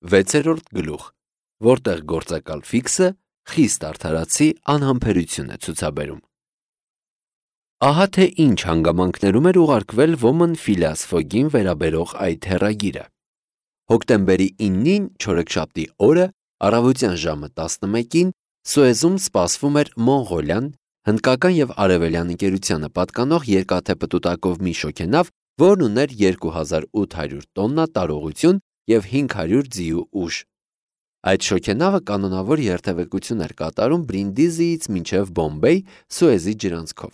6-րդ գլուխ, որտեղ գործակալ ֆիքսը խիստ արդարացի անհամբերություն է ցուցաբերում։ Ահա թե ինչ հանգամանքներում էր ուղարկվել Woman Phileas Fogg-ին վերաբերող այդ հեռագիրը։ Հոկտեմբերի 9-ին չորեքշաբթի օրը առավոտյան ժամը 11-ին Սուեզում սպասվում էր Մոնղոլիան, հնդկական և արևելյան ընկերությանը պատկանող երկաթե պտուտակով մի շոգենավ, որն ուներ 2800 տոննա տարողություն և 500 ձիու ուժ։ Այդ շոգենավը կանոնավոր երթևեկություն էր կատարում Բրինդիզիից մինչև Բոմբեյ Սուեզի ջրանցքով։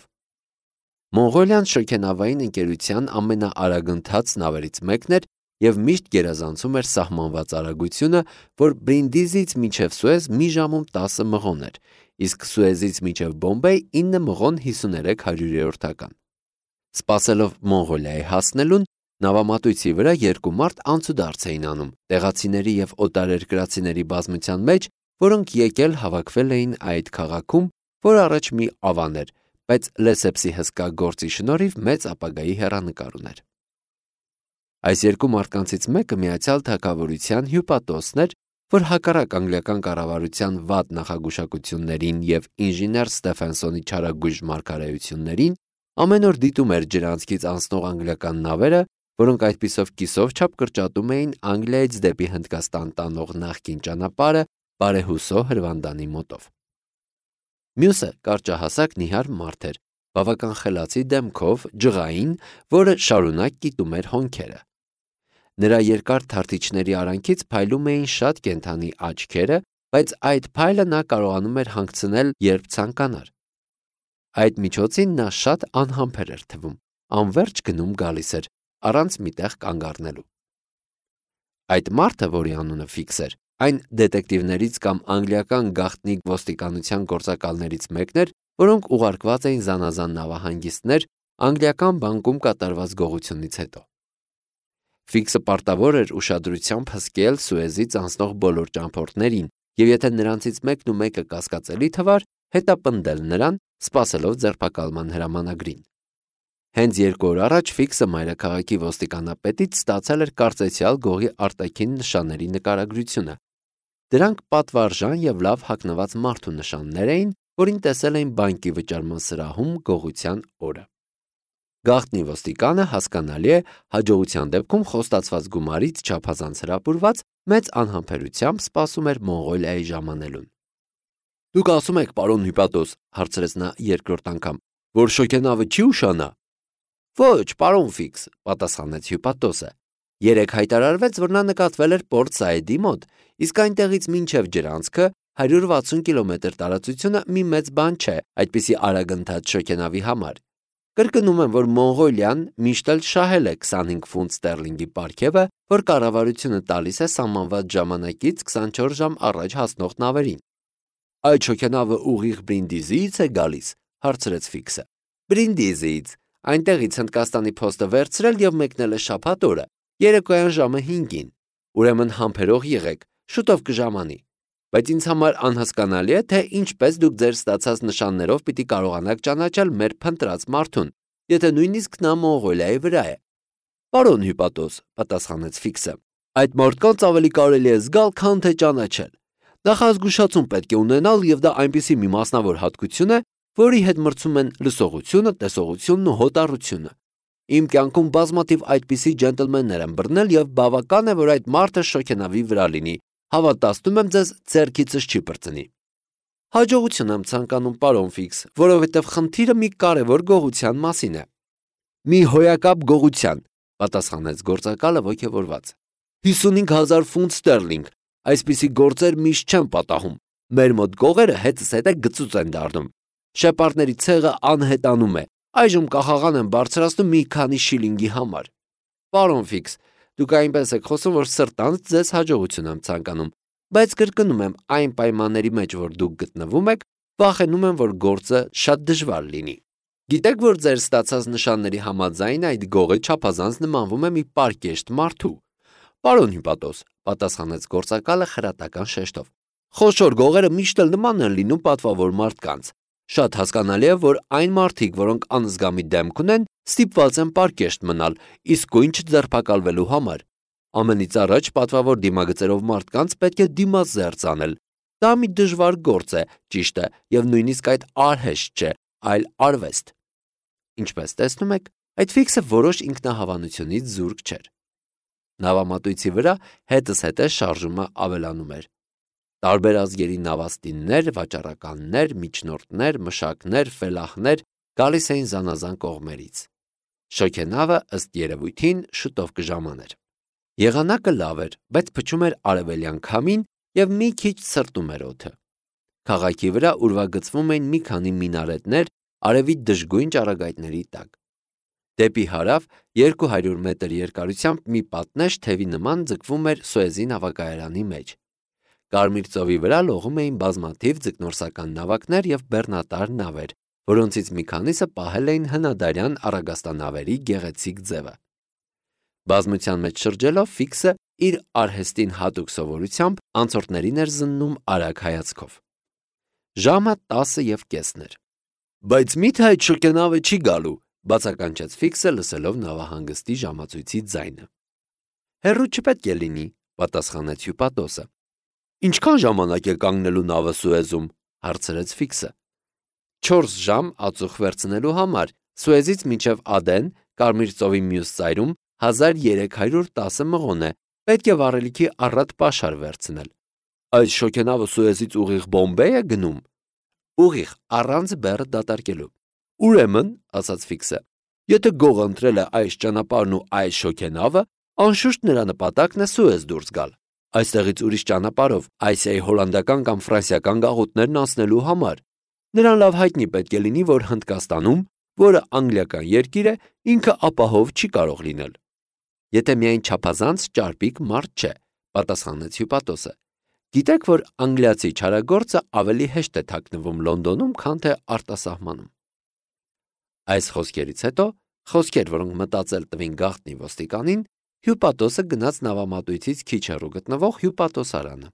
Մոնղոլիան շոգենավային ընկերության ամենաարագընթաց նավերից մեկն էր և միշտ գերազանցում էր սահմանված արագությունը, որ Բրինդիզից մինչև Սուեզ մի ժամում 10 մղոն էր, իսկ Սուեզից մինչև Բոմբեյ 9 մղոն 53 հարյուրերորդական։ Սպասելով Մոնղոլիայի հասնելուն, նավամատույցի վրա երկու մարդ անցուդարձ էին անում տեղացիների և օտարերկրացիների բազմության մեջ, որոնք եկել հավաքվել էին այդ քաղաքում, որ առաջ մի ավան էր, բայց Լեսեփսի հսկա գործի շնորհիվ մեծ ապագայի հեռանկար ուներ։ Այս երկու մարդկանցից մեկը Միացյալ Թագավորության հյուպատոսն էր, որ հակառակ անգլիական կառավարության վատ նախագուշակություններին և ինժեներ Ստեֆենսոնի չարագույժ մարգարեություններին, ամեն օր դիտում էր ջրանցքից անցնող անգլիական նավերը, որոնք այդպիսով կիսով չափ կրճատում էին Անգլիայից դեպի Հնդկաստան տանող նախկին ճանապարհը բարեհուսո հրվանդանի մոտով։ Մյուսը կարճահասակ նիհար մարդ էր, բավական խելացի դեմքով, ջղային, որը շարունակ կիտում էր հոնքերը։ Նրա երկար թարթիչների արանքից փայլում էին շատ կենդանի աչքերը, բայց այդ փայլը նա կարողանում էր հանգցնել, երբ ցանկանար։ Այդ միջոցին նա շատ անհամբեր էր թվում, անվերջ գնում գալիս էր, առանց մի տեղ կանգ առնելու։ Այդ մարդը, որի անունը Ֆիքս էր, այն դետեկտիվներից կամ անգլիական գաղտնի ոստիկանության գործակալներից մեկն էր, որոնք ուղարկված էին զանազան նավահանգիստներ անգլիական բանկում կատարված գողությունից հետո։ Ֆիքսը պարտավոր էր ուշադրությամբ հսկել Սուեզից անցնող բոլոր ճամփորդներին, և եթե նրանցից մեկն ու մեկը կասկածելի թվար, հետապնդել նրան, սպասելով ձերբակալման հրամանագրին։ Հենց 2 օր առաջ Ֆիքսը մայրաքաղաքի ոստիկանապետից ստացել էր կարծեցյալ գողի արտաքին նշանների նկարագրությունը։ Դրանք պատվարժան և լավ հագնված մարդու նշաններ էին, որին տեսել էին բանկի վճարման սրահում գողության օրը։ Գաղտնի ոստիկանը, հասկանալի է, հաջողության դեպքում խոստացված գումարից չափազանց հրապուրված, մեծ անհամբերությամբ սպասում էր Մոնղոլիայի ժամանելուն։ «Դուք ասում եք, պարոն հյուպատոս», հարցրեց նա երկրորդ անգամ, «որ շոգենավը չի ուշանա»։ «Ոչ, պարոն Ֆիքս», պատասխանեց հյուպատոսը։ «Երեկ հայտարարվեց, որ նա նկատվել էր Պորտ Սայեդի մոտ, իսկ այնտեղից մինչև ջրանցքը 160 կիլոմետր տարածությունը մի մեծ բան չէ այդպիսի արագընթաց շոգենավի համար։ Կրկնում եմ, որ Մոնղոլիան միշտ էլ շահել է 25 ֆունտ ստերլինգի պարգևը, որ կառավարությունը տալիս է սահմանված ժամանակից 24 ժամ առաջ հասնող նավերին»։ «Այդ շոգենավը ուղիղ Բրինդիզիից է գալիս», հարցրեց Ֆիքսը։ «Բրինդիզիից, այնտեղից Հնդկաստանի փոստը վերցրել և մեկնել է շաբաթ օրը, երեկոյան ժամը 5-ին։ Ուրեմն համբերող եղեք, շուտով կժամանի։ Բայց ինձ համար անհասկանալի է, թե ինչպես դուք ձեր ստացած նշաններով պիտի կարողանաք ճանաչել մեր փնտրած մարդուն, եթե նույնիսկ նա Մոնղոլիայի վրա է»։ «Պարոն հյուպատոս», պատասխանեց Ֆիքսը, «այդ մարդկանց ավելի կարելի է զգալ, քան թե ճանաչել։ Նախազգուշացում պետք է ունենալ, և դա այնպիսի մի մասնավոր հատկություն է, որի հետ մրցում են լսողությունը, տեսողությունն ու հոտառությունը։ Իմ կյանքում բազմաթիվ այդպիսի ջենտլմեններ եմ բռնել, և բավական է, որ այդ մարդը շոգենավի վրա լինի, հավատացնում եմ ձեզ, ձեռքիցս չի պրծնի»։ «Հաջողություն եմ ցանկանում, պարոն Ֆիքս, որովհետև խնդիրը մի կարևոր գողության մասին է»։ «Մի հոյակապ գողության», պատասխանեց գործակալը ոգևորված։ 55,000 ֆունտ ստերլինգ, այսպիսի գործեր միշտ չեն պատահում։ Մեր մոտ գողերը հետզհետե գծուծ են դառնում։ Շեպարդների ցեղը անհետանում է, այժմ կախաղան են բարձրացնում մի քանի շիլինգի համար։ «Պարոն Ֆիքս, դուք այնպես եք խոսում, որ սրտանց ձեզ հաջողություն եմ ցանկանում, բայց կրկնում եմ, այն պայմանների մեջ, որ դուք գտնվում եք, վախենում եմ, որ գործը շատ դժվար լինի։ Գիտեք, որ ձեր ստացած նշանների համաձայն այդ գողը չափազանց նմանվում է մի պարկեշտ մարդու»։ «Պարոն հյուպատոս», պատասխանեց գործակալը խրատական շեշտով, «խոշոր գողերը միշտ էլ նման են լինում պատվավոր մարդկանց։ Շատ հասկանալի է, որ այն մարդիկ, որոնք անզգամի դեմք ունեն, ստիպված են պարկեշտ մնալ, իսկույն չձերբակալվելու համար։ ամենից առաջ պատվավոր դիմագծերով մարդկանց պետք է դիմազերծ անել։ Դա մի դժվար գործ է, ճիշտ է, եւ նույնիսկ այդ արհեստ չէ, այլ արվեստ։ Ինչպես տեսնում եք, այդ ֆիքսը որոշ ինքնահավանությունից զուրկ չէր։ Նավամատույցի վրա հետզհետե շարժումը ավելանում էր։ Տարբեր ազգերի նավաստիններ, վաճառականներ, միջնորդներ, մշակներ, ֆելահներ գալիս էին զանազան կողմերից։ Շոգենավը ըստ երևույթին շուտով կժամաներ։ Եղանակը լավ էր, բայց փչում էր արևելյան քամին եւ մի քիչ սրտում էր օդը։ Քաղաքի վրա ուրվագծվում էին մի քանի մինարետներ արևի դժգույն ճառագայթների տակ։ Դեպի հարավ 200 մետր երկարությամբ մի պատնեշ թևի նման ձգվում էր Սուեզի նավակայարանի մեջ։ Կարմիր ծովի վրա լողում էին բազմաթիվ ձկնորսական նավակներ եւ բեռնատար նավեր, որոնցից մի քանիսը պահել էին հնադարյան առագաստանավերի գեղեցիկ ձևը։ Բազմության մեջ շրջելով ֆիքսը իր արհեստին հատուկ սովորությամբ անցորդներին էր զննում արագ հայացքով։ Ժամը 10:30 էր։ Բայց միթե այդ շոգենավը չի գալու, բացականչեց ֆիքսը լսելով նավահանգստի ժամացույցի ձայնը։ Հեռու չպետք է լինի, պատասխանեց հյուպատոսը։ Ինչքան ժամանակ է կանգնելու նավը Սուեզում, հարցրեց ֆիքսը։ 4 ժամ ածուխ վերցնելու համար, Սուեզից մինչև Ադեն, Կարմիր ծովի մյուս ծայրում 1310 մղոն է, պետք է վառելիքի առատ պաշար վերցնել։ Այս շոգենավը Սուեզից ուղիղ Բոմբեյ է գնում։ Ուղիղ, առանց բեռը դատարկելու։ Ուրեմն, ասաց ֆիքսը, եթե գող ընտրել է այս ճանապարհն ու այս շոգենավը, անշուշտ նրա նպատակն է Սուեզ դուրս գալ։ Այստեղից ուրիշ ճանապարհով Ասիայի հոլանդական կամ ֆրանսիական գաղութներն անցնելու համար։ Նրան լավ հայտնի պետք է լինի, որ Հնդկաստանում, որը անգլիական երկիր է, ինքը ապահով չի կարող լինել։ Եթե միայն չափազանց ճարպիկ մարդ չէ, պատասխանեց հյուպատոսը։ Գիտեք, որ անգլիացի չարագործը ավելի հեշտ է թաքնվում Լոնդոնում, քան թե արտասահմանում։ Այս խոսքերից հետո, խոսքեր, որոնք մտածել տվին գաղտնի ոստիկանին, հյուպատոսը գնաց նավամատույցից քիչ հեռու գտնվող հյուպատոսարանը։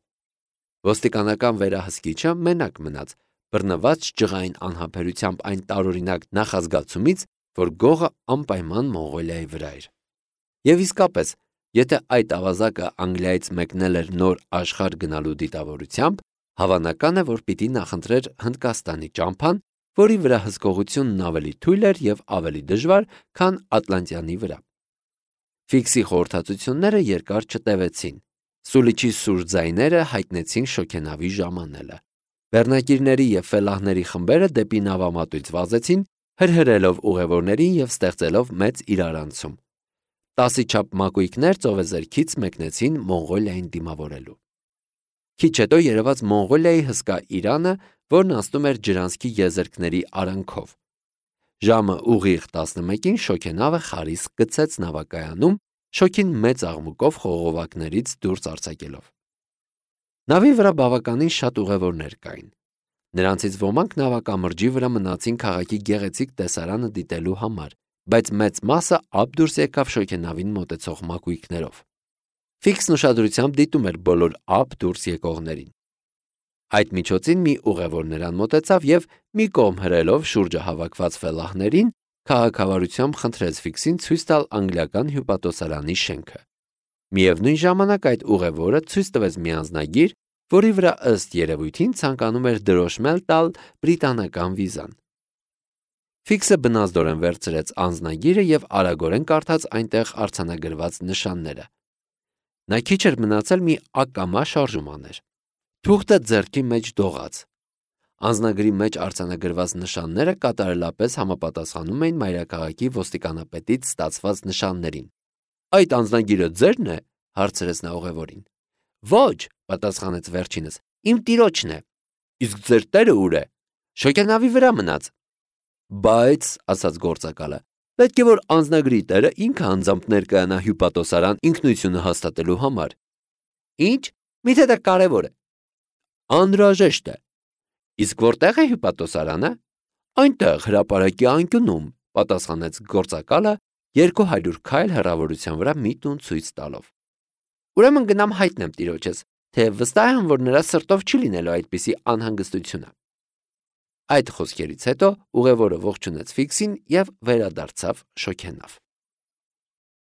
Ոստիկանական վերահսկիչը մենակ մնաց, բռնված ջղային անհամբերությամբ այն տարօրինակ նախազգացումից, որ գողը անպայման Մոնղոլիայի վրա էր։ Եվ իսկապես, եթե այդ ավազակը Անգլիայից մեկնել էր նոր աշխարհ գնալու դիտավորությամբ, հավանական է, որ պիտի նախընտրեր Հնդկաստանի ճամփան, որի վրա հսկողությունն ավելի թույլ էր եւ ավելի դժվար, քան Ատլանտյանի վրա։ Ֆիքսի խորհրդածությունները երկար չտևեցին։ Սուլիչի սուր ձայները հայտնեցին շոգենավի ժամանելը։ Բեռնակիրների եւ ֆելահների խմբերը դեպի նավամատույց վազեցին, հրհրելով ուղևորներին եւ ստեղծելով մեծ իրարանցում։ 10-ի չափ մակույկներ ծովեզերքից մեկնեցին Մոնղոլիային դիմավորելու։ Քիչ հետո երևաց Մոնղոլիայի հսկա Իրանը, որն անցնում էր ջրանցքի եզերքների արանքով։ Ժամը ուղիղ 11-ին շոգենավը խարիսկ գցեց նավակայանում, շոգին մեծ աղմուկով խողովակներից դուրս արձակելով։ Նավի վրա բավականին շատ ուղևորներ կային։ Նրանցից ոմանք նավակամրջի վրա մնացին քաղաքի գեղեցիկ տեսարանը դիտելու համար, բայց մեծ մասը ափ դուրս եկավ շոգենավին մոտեցող մակույկներով։ Ֆիքսն ուշադրությամբ դիտում էր բոլոր ափ դուրս եկողներին։ Այդ միջոցին մի ուղևոր նրան մոտեցավ եւ մի կողմ հրելով շուրջը հավաքված ֆելահներին, քաղաքավարությամբ խնդրեց Ֆիքսին ցույց տալ անգլիական հյուպատոսարանի շենքը։ Միևնույն ժամանակ այդ ուղևորը ցույց տվեց մի անձնագիր, որի վրա ըստ երևույթին ցանկանում էր դրոշմել տալ բրիտանական վիզան։ Ֆիքսը բնազդորեն վերցրեց անձնագիրը եւ արագորեն կարդաց այնտեղ արձանագրված նշանները։ Նա քիչ էր մնացել մի ակամա շարժում աներ։ Թուղթը ձեռքի մեջ դողաց։ Անձնագրի մեջ արձանագրված նշանները կատարելապես համապատասխանում էին մայրաքաղաքի ոստիկանապետից ստացված նշաններին։ Այդ անձնագիրը ձերն է, հարցրեց նա ուղևորին։ Ոչ, պատասխանեց վերջինս, իմ տիրոջն է։ Իսկ ձեր տերը ուր է։ Շոգենավի վրա մնաց։ Բայց, ասաց գործակալը, պետք է որ անձնագրի տերը ինքը անձամբ ներկայանա հյուպատոսարան ինքնությունը հաստատելու համար։ Ինչ, միթե դա կարևոր է։ Անհրաժեշտ է։ Իսկ որտեղ է հյուպատոսարանը։ Այնտեղ հրապարակի անկյունում, պատասխանեց գործակալը 200 քայլ հեռավորության վրա մի տուն ցույց տալով։ Ուրեմն գնամ հայտնեմ տիրոջս, թե վստահ եմ, որ նրա սրտով չի լինելու այդպիսի անհանգստությունը։ Այդ խոսքերից հետո ուղևորը ողջունեց Ֆիքսին եւ վերադարձավ շոգենավ։